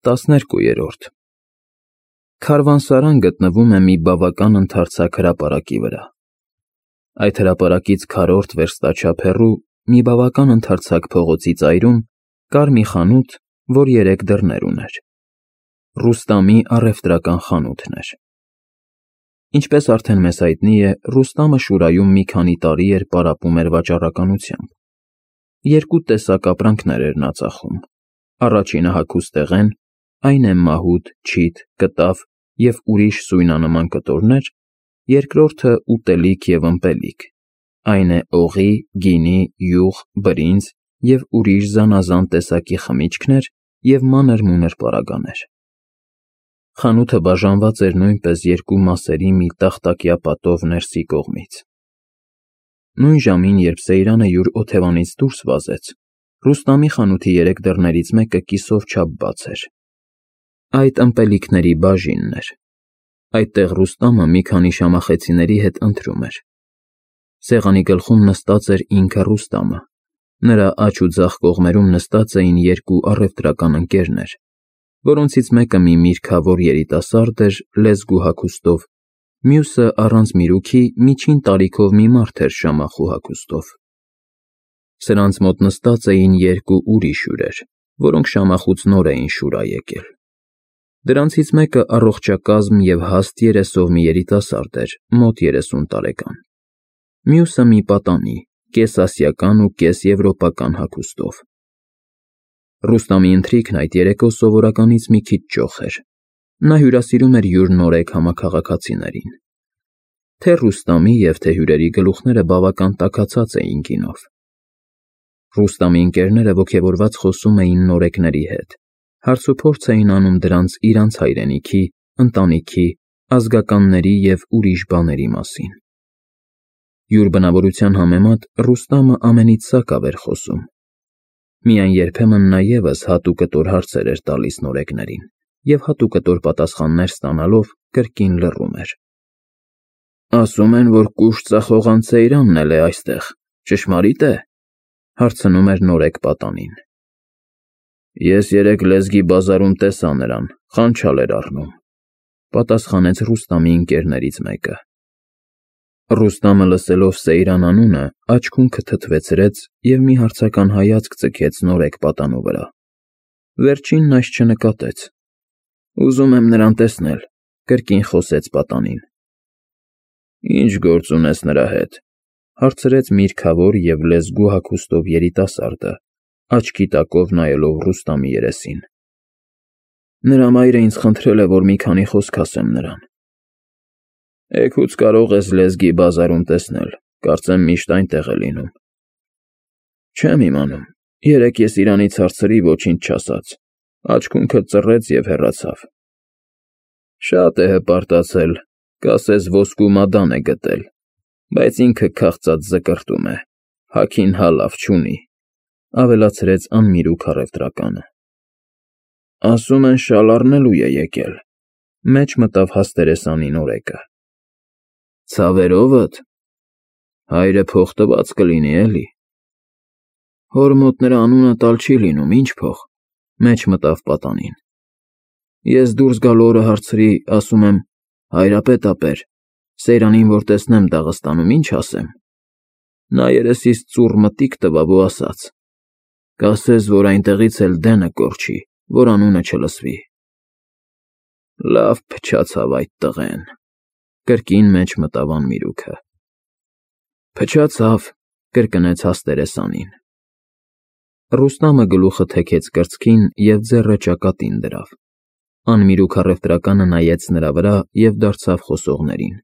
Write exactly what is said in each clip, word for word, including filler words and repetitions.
տասներկուերորդ Քարվանսարան գտնվում է մի բավական ընդարձակ հրապարակի վրա։ Այդ հրապարակից քառորդ վերստաչափ հեռու մի բավական ընդարձակ փողոցի ծայրում կար մի խանութ, որ երեք դռներ ուներ։ Ռուստամի առևտրական խանութն էր։ Ինչպես արդեն մեզ հայտնի է, Ռուստամը Շուրայում մի քանի տարի էր պարապում էր վաճառականությամբ։ Երկու տեսակ ապրանքներ էր նա ծախում։ Առաջինը հագուստեղեն, այն է մահուդ, չիթ, կտավ և ուրիշ սույնանման կտորներ, երկրորդը ուտելիք և ըմպելիք, այն է օղի, գինի, յուղ, բրինձ և ուրիշ զանազան տեսակի խմիչքներ և մանր-մունր պարագաներ։ Խանութը բաժանված էր նույնպես երկու մասերի մի տախտակյա պատով ներսի կողմից։ Նույն ժամին, երբ Սեյրանը յուր օթևանից դուրս վազեց, Ռուստամի խանութի երեք դռներից մեկը կիսով չափ բաց էր։ Այդ ըմպելիքների բաժինն էր։ Այդտեղ Ռուստամը մի քանի շամախեցիների հետ ընթրում էր։ Սեղանի գլխում նստած էր ինքը Ռուստամը, նրա աջ ու ձախ կողմերում նստած էին երկու առևտրական ընկերներ, որոնցից մեկը մի միրգավոր երիտասարդ էր լեզգու հագուստով, մյուսը առանց միրուքի միջին տարիքով մի մարդ էր շամախու հագուստով։ Սրանց մոտ նստած էին երկու ուրիշ հյուրեր, որոնք շամախուց նոր էին Շուրա եկել։ Դրանցից մեկը առողջակազմ և հաստ երեսով մի երիտասարդ էր, մոտ երեսուն տարեկան, մյուսը մի պատանի, կես֊ասիական ու կես֊եվրոպական հագուստով։ Ռուստամի ընթրիքն այդ երեկո սովորականից մի քիչ ճոխ էր։ Նա հյուրասիրում էր յուր նորեկ համաքաղաքացիներին։ Թե Ռուստամի և թե հյուրերի գլուխները բավական տաքացած էին գինով։ Ռուստամի ընկերները ոգևորված խոսում էին նորեկների հետ, հարցուփորձ էին անում դրանց իրանց հայրենիքի, ընտանիքի, ազգականների և ուրիշ բաների մասին։ Յուր բնավորության համեմատ Ռուստամը ամենից սակավ էր խոսում։ Միայն երբեմն նա ևս հատուկտոր հարցեր էր տալիս նորեկներին և հատուկտոր պատասխաններ ստանալով կրկին լռում էր։ «Ասում են, որ կուշտ ծախողան Սեյրանն էլ է այստեղ, ճշմարի՞տ է», հարցնում էր նորեկ պատանին։ «Ես երեկ լեզգի բազարում տեսա նրան, խանչալ էր առնում», պատասխանեց Ռուստամի ընկերներից մեկը։ Ռուստամը լսելով Սեյրան անունը, աչքունքը թթվեցրեց և մի հարցական հայացք ձգեց նորեկ պատանու վրա։ Վերջինն այս չնկատեց։ «Ուզում եմ նրան տեսնել», կրկին խոսեց պատանին։ «Ի՞նչ գործ ունես նրա հետ», հարցրեց միրգավոր և լեզգու հագուստով երիտասարդը, աչքի տակով նայելով Ռուստամի երեսին։ «Նրա մայրը ինձ խնդրել է, որ մի քանի խոսք ասեմ նրան»։ «Էգուց կարող ես լեզգի բազարում տեսնել, կարծեմ միշտ այնտեղ է լինում»։ «Չեմ իմանում, երեկ ես իրանից հարցրի, ոչինչ չասաց, աչքունքը ծռեց և հեռացավ»։ «Շատ է հպարտացել, կասես ոսկու մադան է գտել, բայց ինքը քաղցած զկրտում է, հագին հա լավ չունի», ավելացրեց անմիրուք առևտրականը։ «Ասում են շալ առնելու է եկել», մեջ մտավ հաստերեսանի նորեկը։ «Ցավերովդ, հայրը փող տված կլինի, էլի»։ «Հոր մոտ նրա անունը տալ չի լինում, ինչ փող», մեջ մտավ պատանին։ «Ես դուրս գալ օրը հարցրի, ասում եմ. հայրապետապեր, Սեյրանին որ տեսնեմ Դաղստանում, ինչ ասեմ։ Նա երեսից ծուռ մտիկ տվավ ու ասաց. կասես, որ այնտեղից էլ դենը կորչի, որ անունը չլսվի»։ «Լավ փչացավ այդ տղեն», կրկին մեջ մտավ անմիրուքը։ «Փչացավ», կրկնեց հաստերեսանին։ Ռուստամը գլուխը թեքեց կրծքին և ձեռը ճակատին դրավ։ Անմիրուք առևտրականը նայեց նրա վրա և դարձավ խոսողներին.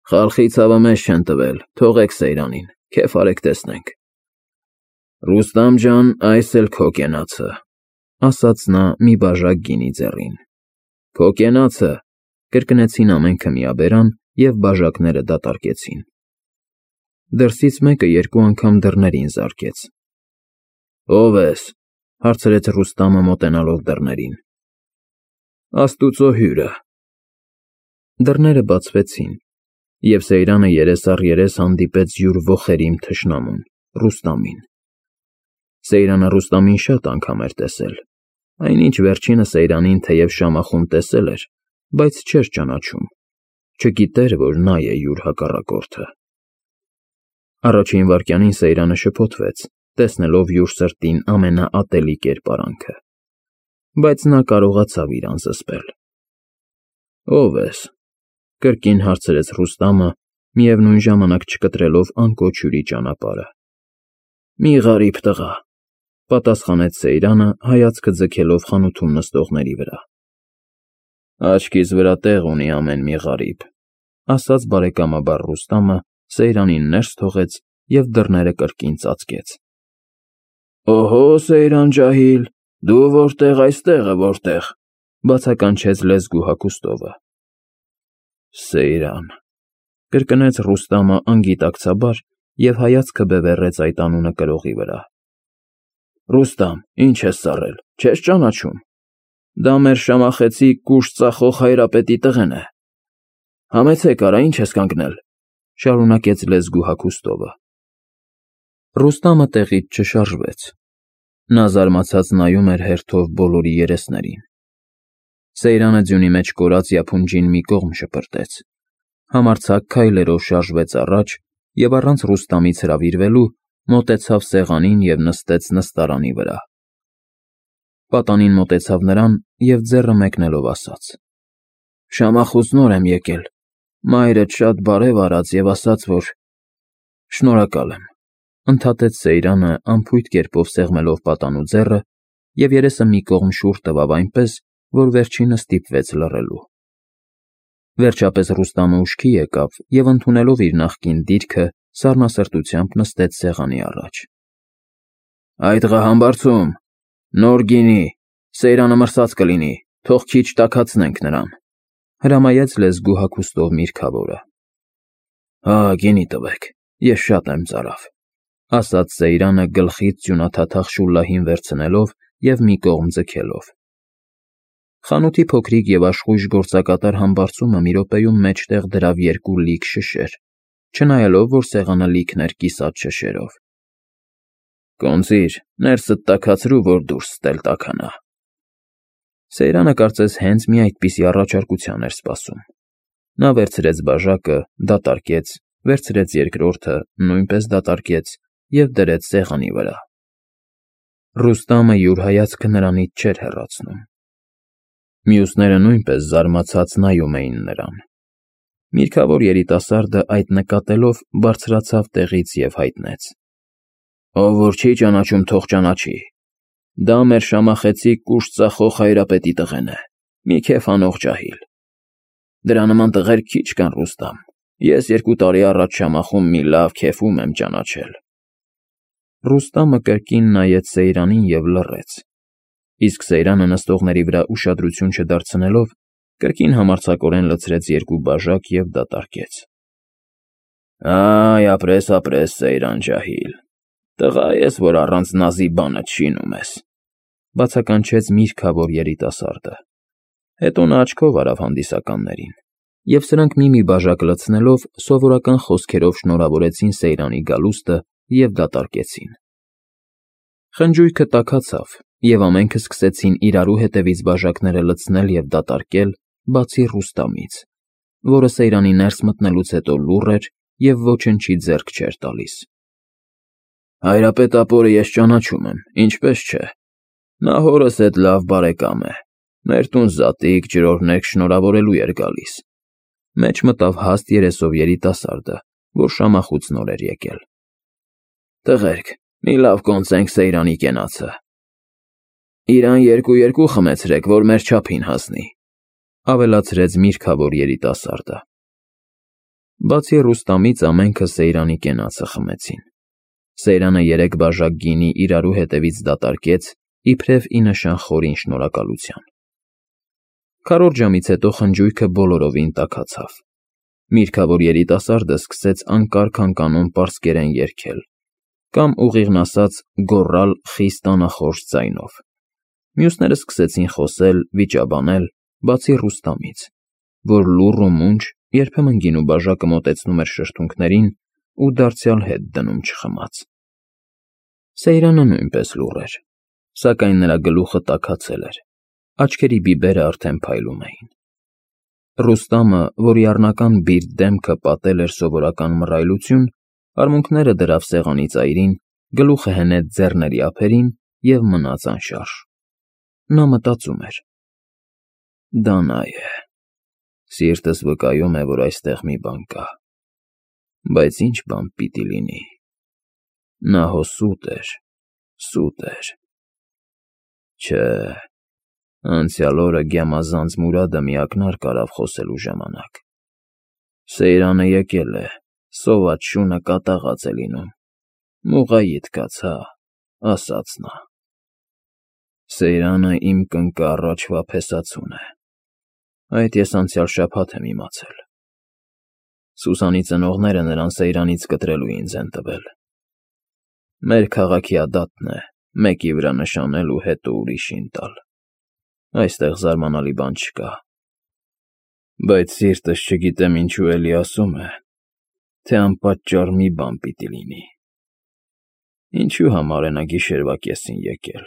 «Խալխի ցավը մեզ չեն տվել, թողեք Սեյրանին, քեֆ արեք տեսնենք»։ «Ռուստամ ջան, այս էլ քո կենացը», ասաց նա մի բաժակ գինի ձեռին։ «Քո կենացը», կրկնեցին ամենքը միաբերան և բաժակները դատարկեցին։ Դրսից մեկը երկու անգամ դռներին զարկեց։ «Ո՞վ ես», հարցրեց Ռուստամը մոտենալով դռներին։ «Աստուծո հյուրը»։ Դռները բացվեցին, և Սեյրանը երես առ երես հանդիպեց յուր ոխերիմ թշնամուն՝ Ռուստամին։ Սեյրանը Ռուստամին շատ անգամ էր տեսել, Այնինչ վերջինը Սեյրանին թեև շամախում տեսել էր, բայց չէր ճանաչում, չգիտեր, որ նա է յուր հակառակորդը։ Առաջին վայրկյանին Սեյրանը շփոթվեց, տեսնելով յուր սրտին ամենաատելի կերպարանքը, բայց նա կարողացավ իրան զսպել։ Ո՞վ ես,֊ կրկին հարցրեց Ռուստամը, միևնույն ժամանակ չկտրելով անկոչ հյուրի ճանապարհը։ Մի ғարիբ տղա,֊ պատասխանեց Սեյրանը, հայացքը ձգելով խանութում նստողների վրա։ Աչքիս վրա տեղ ունի ամեն մի ғարիբ,֊ ասաց բարեկամաբար Ռուստամը, Սեյրանին ներս թողեց և դռները կրկին ծածկեց։ Օհո, Սեյրան ջահիլ, դու որտե՞ղ, այստեղ է որտեղ,֊ բացականչեց լեզգու հագուստովը։ Սեյրան,֊ կրկնեց Ռուստամը անգիտակցաբար և հայացքը բևեռեց այդ անունը կրողի վրա։ Ռուստամ, ինչ ես ծառել, չես ճանաչում։ Դա մեր շամախեցիկ կուշտ ծախող հայրապետի տղեն է։ Համեցեք արա, ինչ ես կանգնել,֊ շարունակեց լեզգու հագուստովը։ Ռուստամը տեղից չշարժվեց։ Նա զարմացած նայում էր հերթով բոլորի երեսներին։ Սեյրանը ձյունի մեջ կորած յափունջին մի կողմ շպրտեց, համարձակ քայլերով շարժվեց առաջ և առանց Ռուստամից հրավիրվելու մոտեցավ սեղանին և նստեց նստարանի վրա։ Պատանին մոտեցավ նրան և ձեռը մեկնելով ասաց. Շամախուց նոր եմ եկել, մայրդ շատ բարև արած և ասաց, որ… Շնորհակալ եմ,֊ ընդհատեց Սեյրանը անփույթ կերպով սեղմելով պատանու ձեռը և երեսը մի կողմ շուռ տվավ այնպես, որ վերջինը ստիպվեց լռելու։ Վերջապես Ռուստամը ուշքի եկավ և ընդունելով իր նախկին դիրքը, սառնասրտությամբ նստեց սեղանի առաջ։ Այդ ղահամբարձում, նոր գինի, Սեյրանը մրսած կլինի, թող քիչ տաքացնենք նրան,֊ հրամայեց լեզգու հագուստով միրգավորը։ Հա, գինի տվեք, ես շատ եմ ծարավ,֊ ասաց Սեյրանը գլխից ձյունաթաթախ շուլլահին վերցնելով և մի կողմ ձգելով։ Խանութի փոքրիկ և աշխույժ գործակատար համբարձումը մի րոպեում մեջտեղ դրավ երկու լիք շշեր, չնայելով, որ սեղանը լիքն էր կիսատ շշերով։ Կոնծիր, ներսդ տաքացրու, որ դուրս ստել տաքանա։ Սեյրանը կարծես հենց մի այդպիսի առաջարկության էր սպասում։ Նա վերցրեց բաժակը, դատարկեց, վերցրեց երկրորդը, նույնպես դատարկեց և դրեց սեղանի վրա։ Ռուստամը յուր հայացքը նրանից չէր հեռացնում։ Մյուսները նույնպես զարմացած նայում էին նրան։ Միրգավոր երիտասարդը այդ նկատելով բարձրացավ տեղից և հայտնեց. Ով որ չի ճանաչում, թող ճանաչի։ Դա մեր շամախեցիկ կուշտ ծախող հայրապետի տղեն է, մի քեֆ անող ջահիլ։ Դրա նման տղեր քիչ կան, Ռուստամ, ես երկու տարի առաջ շամախում մի լավ քեֆում եմ ճանաչել։ Ռուստամը կրկին նայեց Սեյրանին և լռեց, իսկ Սեյրանը նստողների վրա ուշադրություն չդարձնելով, կրկին համարձակորեն լցրեց երկու բաժակ և դատարկեց։ Այ, ապրես, ապրես, Սեյրան ջահիլ, տղա ես, որ առանց նազի բանդ շինում ես,֊ բացականչեց միրգավոր երիտասարդը։ Հետո նա աչքով արավ հանդիսականներին, և սրանք մի-մի բաժակ լցնելով սովորական խոսքերով շնորհավորեցին Սեյրանի գալուստը և դատարկեցին։ Խնջույքը տաքացավ, և ամենքը սկսեցին իրարու հետևից բաժակները լցնել և դատարկել, բացի Ռուստամից, որը Սեյրանի ներս մտնելուց հետո լուռ էր և ոչնչի ձեռք չէր տալիս։ Հայրապետ ապորը ես ճանաչում եմ, ինչպես չէ։ Նա հորս հետ լավ բարեկամ է, մեր տուն զատիկ, ջրօրհնեք շնորհավորելու էր գալիս,֊ մեջ մտավ հաստ երեսով երիտասարդը, որ շամախուց նոր էր եկել։ Տղերք, մի լավ կոնծենք Սեյրանի կենացը։ Իրան երկու֊երկու խմեցրեք, որ մեր չափին հասնի,֊ ավելացրեց միրգավոր երիտասարդը։ Բացի Ռուստամից ամենքը Սեյրանի կենացը խմեցին։ Սեյրանը երեք բաժակ գինի իրարու հետևից դատարկեց, իբրև ի նշան խորին շնորհակալության։ Քառորդ ժամից հետո խնջույքը բոլորովին տաքացավ։ Միրգավոր երիտասարդը սկսեց անկարգ-անկանոն պարսկերեն երգել կամ, ուղիղն ասած, գոռալ խիստ անախորժ ձայնով։ Մյուսները սկսեցին խոսել, վիճաբանել, բացի Ռուստամից, որ լուռ ու մունջ երբեմն գինու բաժակը մոտեցնում էր շրթունքներին ու դարձյալ հետ դնում չխմած։ Սեյրանը նույնպես լուռ էր։ Սակայն նրա գլուխը տաքացել էր, աչքերի բիբերը արդեն փայլում էին։ Ռուստամը, որի առնական բիրտ դեմքը պատել էր սովորական մռայլություն, արմունկները դրավ սեղանի ծայրին, գլուխը հենեց ձեռների ափերին և մնաց անշարժ։ Նա մտածում էր. «Դա նա է։ Սիրտս վկայում է, որ այստեղ մի բան կա։ Բայց ինչ բան պիտի լինի։ Նա հո սուտ էր, սուտ էր։ Չէ, անցյալ օրը գյամազանց Մուրադը մի ակնարկ արավ խոսելու ժամանակ։ Սեյրանը եկել է, սոված շունը կատաղած է լինում։ Մուղայիդ կաց, հա, ասաց նա։ Սեյրանը իմ կնկը առաջվա փեսացուն է։ Այդ ես անցյալ շաբաթ եմ իմացել։ Սուսանի ծնողները նրան Սեյրանից կտրելու ինձ են տվել։ Մեր քաղաքի ադատն է, մեկի վրա նշանել ու հետո ուրիշին տալ։ Այստեղ զարմանալի բան չկա։ Բայց սիրտս չգիտեմ ինչու էլի ասում է, թե անպատճառ մի բան պիտի լինի։ Ինչու համար է նա գիշերվա կեսին եկել։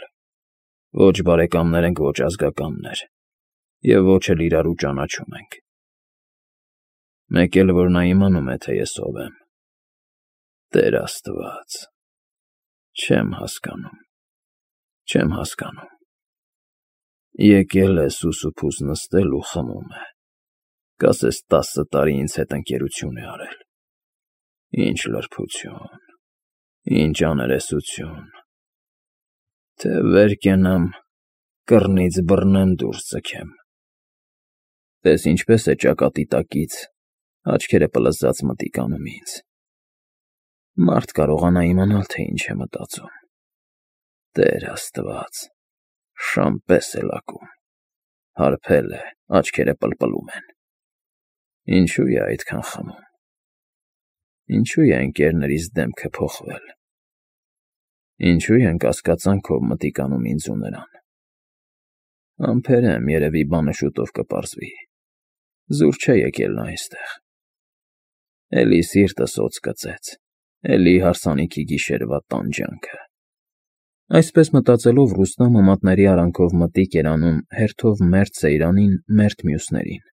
Ոչ բարեկամներ ենք, ոչ ազգականներ, և ոչ էլ իրարու ճանաչում ենք։ Մեկ էլ որ նա իմանում է, թե ես ով եմ։ Տեր Աստված, չեմ հասկանում, չեմ հասկանում։ Եկել է սուսուփուս նստել ու խմում է, կասես տասը տարի ինձ հետ ընկերություն է արել։ Ինչ լրբություն, ինչ աներեսություն։ Թե վեր կենամ, կռնից բռնեմ դուրս ձգեմ։ Տես ինչպես է ճակատի տակից, աչքերը պլզած մտիկ անում ինձ։ Մարդ կարողանա իմանալ, թե ինչ է մտածում։ Տեր Աստված, շան պես է լակում, հարբել է, աչքերը պլպլում են։ Ինչու է այդքան խմում։ Ինչու է ընկերներիս դեմքը փոխվել։ Ինչու են կասկածանքով մտիկ անում ինձ ու նրան։ Ամփեր եմ, երևի բանը շուտով կպարզվի։ Զուր չէ եկել նա այստեղ։ Էլի սիրտս օձ կծեց, էլի հարսանիքի գիշերվա տանջանքը։ Այսպես մտածելով Ռուստամը մատների արանքով մտիկ էր անում հերթով մերթ Սեյրանին, մերթ մյուսներին։